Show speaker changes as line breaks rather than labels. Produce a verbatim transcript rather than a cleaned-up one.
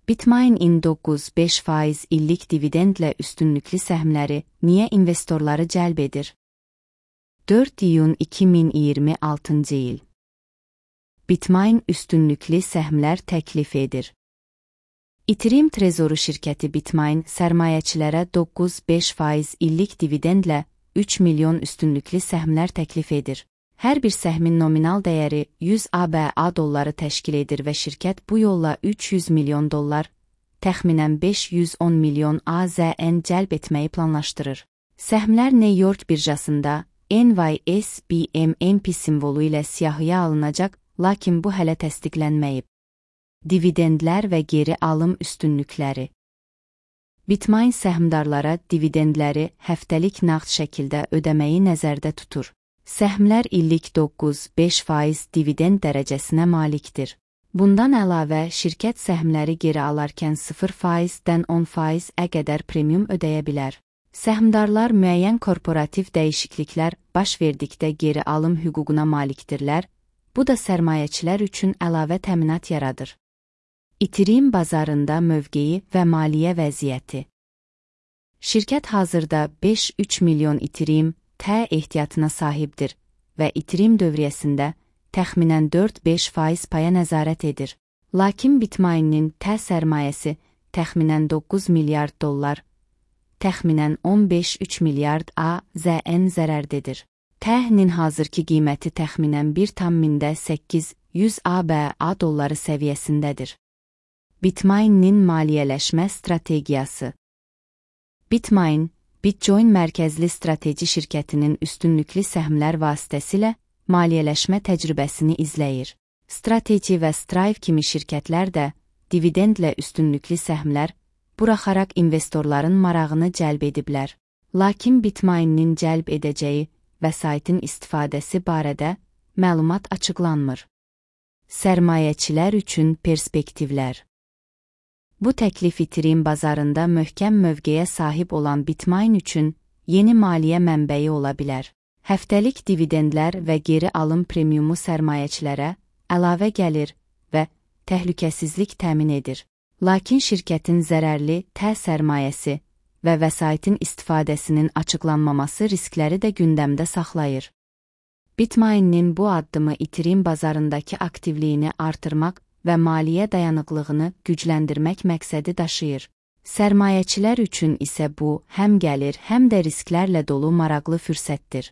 Bitmain-in doqquz nöqtə beş faiz illik dividendlə üstünlüklü səhmləri niyə investorları cəlb edir? dörd iyun iki min iyirmi altıncı il. Bitmain üstünlüklü səhmlər təklif edir. Ethereum trezoru şirkəti Bitmain sərmayəçilərə doqquz nöqtə beş faiz illik dividendlə üç milyon üstünlüklü səhmlər təklif edir. Hər bir səhmin nominal dəyəri yüz ABA dolları təşkil edir və şirkət bu yolla üç yüz milyon dollar, təxminən beş yüz on milyon AZN cəlb etməyi planlaşdırır. Səhmlər New York birjasında N Y S B M M P simvolu ilə siyahıya alınacaq, lakin bu hələ təsdiqlənməyib. Dividendlər və geri alım üstünlükləri. Bitmain səhmdarlara dividendləri həftəlik nağd şəkildə ödəməyi nəzərdə tutur. Səhmlər illik doqquz nöqtə beş faiz dividend dərəcəsinə malikdir. Bundan əlavə, şirkət səhmləri geri alarkən sıfır faizdən on faizə qədər premium ödəyə bilər. Səhmdarlar müəyyən korporativ dəyişikliklər baş verdikdə geri alım hüququna malikdirlər, bu da sərmayəçilər üçün əlavə təminat yaradır. Ethereum bazarında mövqeyi və maliyyə vəziyyəti. Şirkət hazırda beş nöqtə üç milyon Ethereum T ehtiyatına sahibdir və Ethereum dövriyyəsində təxminən dörd nöqtə beş faiz paya nəzarət edir. Lakin Bitmain-nin T sərmayəsi təxminən doqquz milyard dollar, təxminən on beş nöqtə üç milyard AZN zərərdedir. T-nin hazırki qiyməti təxminən bir tam mində səkkiz yüz ABA dolları səviyyəsindədir. Bitmain-nin maliyyələşmə strategiyası. Bitmain, Bitcoin mərkəzli strateji şirkətinin üstünlüklü səhmlər vasitəsilə maliyyələşmə təcrübəsini izləyir. Strateji və Strive kimi şirkətlər də dividendlə üstünlüklü səhmlər buraxaraq investorların marağını cəlb ediblər. Lakin Bitmain-nin cəlb edəcəyi vəsaitin istifadəsi barədə məlumat açıqlanmır. Sərmayəçilər üçün perspektivlər. Bu təklif Ethereum bazarında möhkəm mövqeyə sahib olan Bitmain üçün yeni maliyyə mənbəyi ola bilər. Həftəlik dividendlər və geri alım premiumu sərmayəçilərə əlavə gəlir və təhlükəsizlik təmin edir. Lakin şirkətin zərərli T sərmayəsi və vəsaitin istifadəsinin açıqlanmaması riskləri də gündəmdə saxlayır. Bitmain-nin bu addımı Ethereum bazarındakı aktivliyini artırmaq və maliyyə dayanıqlığını gücləndirmək məqsədi daşıyır. Sərmayəçilər üçün isə bu həm gəlir, həm də risklərlə dolu maraqlı fürsətdir.